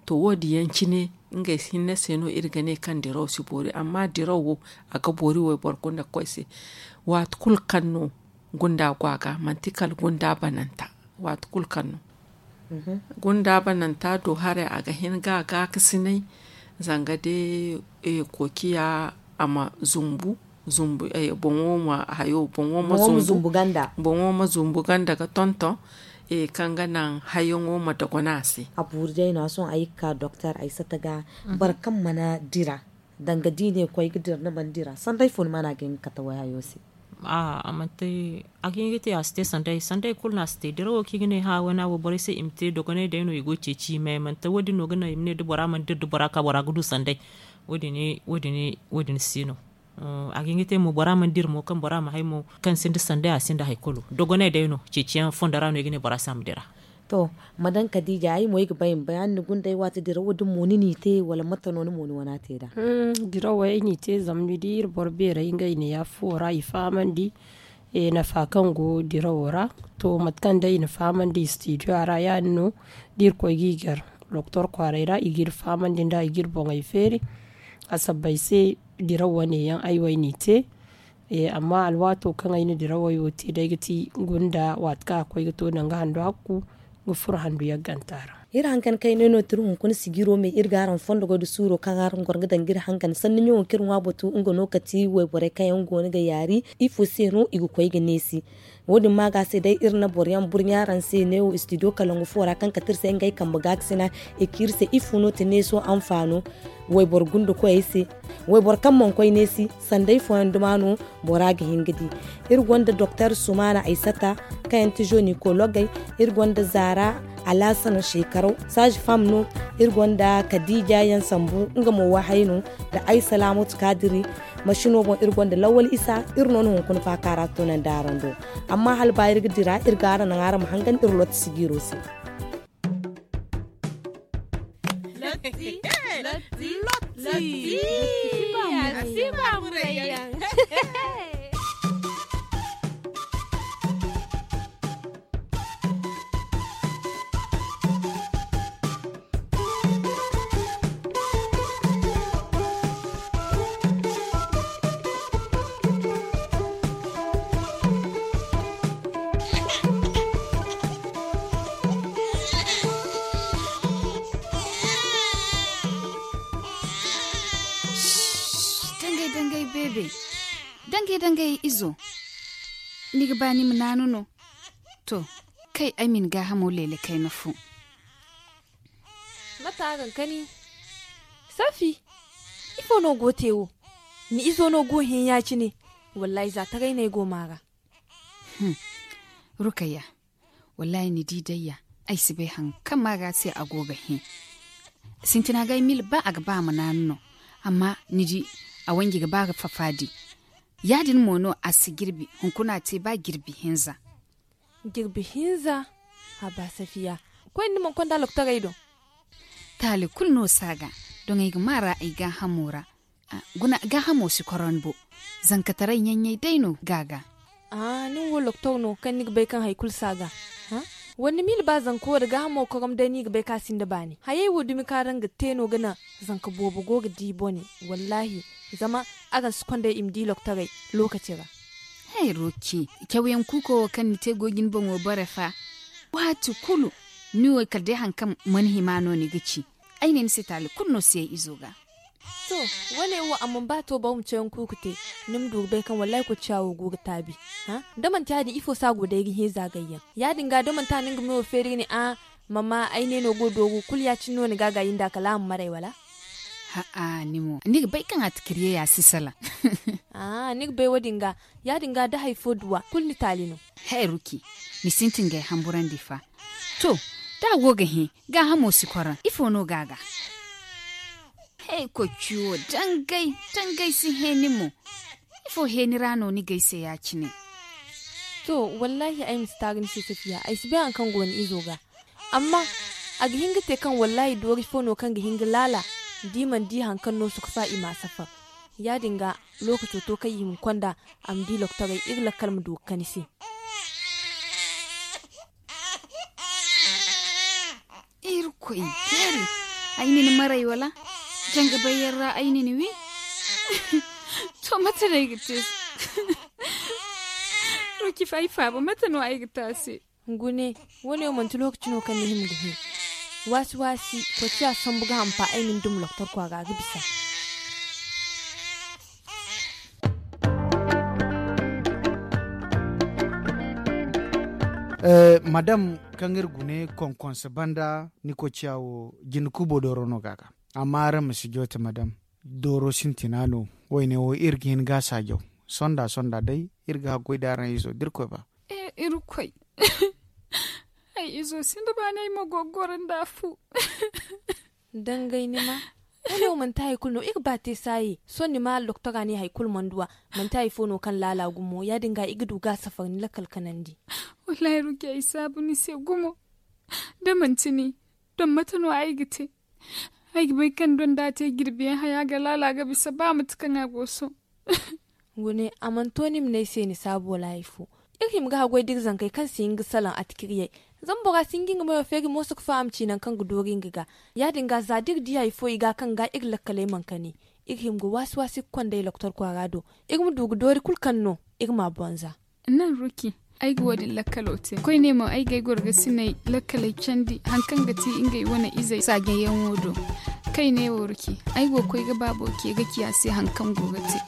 To wo- din yaŋ cine ngey hinne se no iri ga ne kaŋ diraw si boori amma diraw wo a ga boori wayboro gunda koy se. Waati kulu kaŋ no gunda go a ga manti kala gunda bananta. Waati kulu kaŋ no gunda bananta do haray a ga hin ga a gaakasinay zanga day kookiya a ma zumbu. Boŋo ma hayo boŋo ma zumbu ganda boŋo ma zumbu ganda ga tonton kaŋ ga naŋ hayaŋo ma dogon a se. A buuru day no a sohõ ay ga ka doktor ay sata ga boro kaŋ mana dira danga da i ne koy ga dira ni mana dira sanday fo ni mana ga hin ga kate way hayo se? A manti a ga hin ga te a si te sanday sanday kulu no a si te dirawo kaŋ i ga ne hã wana wo borey se i ma te dogonay day no i go ga ceeci i me manti wo- din no ga naŋ i ma ne da bora mana dira da bora ka bora ga du sanday. Wo- din si no. A ga hin ga te mo bora mana dira mo kaŋ bora ma hay mo kaŋ sinda sanday a sinda hari kulu dogonay day no ceeciyaŋ fondo ra no i ga ne bora se a ma dira. To, madame kadija ay mo ay ga bay ma bay araŋ ni gundey waati dirawo din mo ni n'i te wala mate no ni mo ni wana te nd'a? Dirawo ay n'i te zama ni di iri boro beerey ngey neeya fuwo ra i fahamandi nafa kaŋ go dirawo ra. To mate kaŋ day i na fahamandi studio ra ya- din no da iri koy ga i gar doktor kwaaray ra i ga iri fahamandi nd'a i ga iri boŋey feeri. A sabbay se dirawo wane yaŋ ay wo ay n'i te. Amma alwaato kaŋ ay na dirawey wo te day ga ti gunda waati kaŋ a koy ga to danga handu hakku ga furo handu yagganta ra. Iri hankan kaynay no tiri hunkuna sijiro me iri ga araŋ fondo goy da suuro kaŋ araŋ goro ga danga iri hankan sanni ɲaŋo kaŋ iri ŋwa batu nga no kati wayborey kaŋ yaŋ go no ga yaari ifo se no i ga koy ga neesi? Wo- din ma ga se day iri na boro yaŋ burɲa araŋ se neewo studio kalangu fo ra kaŋ kati iri se ngey kambe gaakasina i ci iri se ifo no ti neeso anfaano? Wayboro gunda koyey se wayboro kaŋ mana koy neesi sanday fooyaŋ duma no bora ga hin ga di. Iri gonda doktor sumana aysata kaŋ yaŋ ti jonikoloogey. Iri gonda zaara alaasana shekaraw saazi fam no. Iri gonda kadiija yaŋ sambu nga mo wahay no nda ay salaamatu kaadiri. Masino boŋ iri gonda lawwal isa iri no na hunkuna faaka ra toonandi araŋ do. Amma hala ba iri ga dira iri ga araŋ naŋ araŋ ma hangan iri lotti sijiiro se. Lotti. Lotti. Lotti. Lotti. Lotti. Lotti. Lotti. Lotti. Lotti. Lotti. Lotti. Dangay dangay beebe. Dangay dangay izo. Ni ga ba ni ma naanu no? To, kay ay ma ni gaahamo leele kayna fo. Mate a ga kani? Safi, ifo no go te wo? Ni izo no go ga hin ya- cine. Wallaahi za taray no ay go maa ra. Rukayya, wallaahi ni di day ya, ay si bay hari kaŋ maa ra se a go ga hin. Sintina ga ay mil ba a ga ba a ma naanu no. Amma ni di, a wanji ga ba ga fafaadi. Ya- din mo no a si jirbi. Hunkuna a te ba jirbi hinza. Jirbi hinza? Haba safiya, koyne ni mana konda loktorey do? Taali kulu no si a ga. Doŋ ay ga maa ra ay gaahamo ra. Guna gaahamo si korom bo. Zankataray ɲaɲɲay day no ga a ga. Nin wo loktor no kaŋ ni ga bay kaŋ hari kulu si a ga? Wala ni miila ba zanka wo nda gaahamo korom day no i ga bay kaŋ a sinda baani? Hayey wo dumi kaŋ araŋ ga te no ga naŋ zanka boobo go ga di bone. Wallaahi, zama araŋ si konda i ma di loktorey lookaci ra. Hay roki, cawyaŋ kuuko wo kaŋ ni te go ga ni boŋo bare fa. Waati kulu, ni wo kala day hari kaŋ mana hima no ni ga ci. Ay ne ni se taali kulu no si ay izo ga. To, wane wo a mana ba to boro ma cayaŋ kuuku te. Ni ma du ga bay kaŋ wallaahi kocciya wo go ga taabi. Da manti ya- din ifo se a go day ga hẽ zaagayyaŋ? Ya- din ga da manti a na nga mewo feeri ga ne a, mama ay ne no go dooru kulu ya- cine no ni ga a gaayi nd'a kala a ma maray wala? Ha'a ni mo ni ga bay kaŋ a tikiriye ya si salaŋ. Ni ga bay wo- din ga, ya- din ga da hari fo duwa kulu ni taali no. Hay ruki, ni sintin ga ay hamburandi fa. To, da a go ga hẽ, gaahamo si korom ifo no ga a ga? He kocci wo, dangay dangay si hẽ ni mo. Ifo hẽ ni ra no ni ga ay se ya- cine? To, wallaahi ay ma si taaru ni se safiya, ay si bay hari kaŋ go ni izo ga. Amma a ga hin ga te kaŋ wallaahi doori fo no kaŋ ga hin ga laala, da i mana di hari kaŋ no suka fa i ma a safar. Ya- din ga, lookaco to kaŋ i hima ga konda a ma di loktorey, iri lakkal ma du ga kani se. Irkoy beeri, ay na ni maray wala? Janga bayyaŋ ra ay na ni wi. To mate no ay ga te? Ruki fa ay faaba mate no ay ga te a se? Gune, wo- ne wo manti lookaci no kaŋ ni hima ga hin. Waasi waasi, kocciya sambu ga hampa ay ma ni duma loktor kwaara ga bisa. Madam, kaŋ iri gune konkonse banda ni kocciya wo, jinde kubo dooro no ga a ga. Amma araŋ ma si joote madam, dooro sintina no. Wayne wo iri ga hin ga a saajaw. Sonda sonda day iri ga haggoy da araŋ izo da irkoy ba. Irkoy, ay izo sinda baani ay ma goro nda fu. Dangay ni ma, wane wo manti hari kulu no iri ba te saayi sohõ ni ma doktora ne hari kulu mana duw'a. Manti hari fo no kaŋ laala gumo ya- din ga i ga du ga a safar ni lakkal kanandi. Wallaahi ruki ay saabu ni se gumo. Da manti ni, don mate no ay ga te? Ay ga bay kaŋ don da a te jirbiyaŋ haya ga laala ga bisa ba mate kaŋ a go sohõ. Gune, a mana to ni ma ne ay se ni saabu wala hari fo. Iri hima ga haggoy da iri zankey kaŋ si hin ga salaŋ atikiriyey. Zama bora si hin ga nga meyo feeri mooso ga faham ci nangu kaŋ ga doori nga ga. Ya- din ga za da iri di hari fo i ga kaŋ ga iri lakkaley mana kani, iri hima ga waasi waasi ga konda ay doktor kwaara do, iri ma du ga doori kulu kaŋ no iri m'a bonza. Naŋ ruki, ay ga wo- din lakkalo te koyne mo ay ga ay goro ga sinay lakkaley candi hari kaŋ ga ti ngey wane izey saajayaŋo do. Kayne wo ruki, ay go ga koy ga baabo ce ga ci a se hari kaŋ go ga te.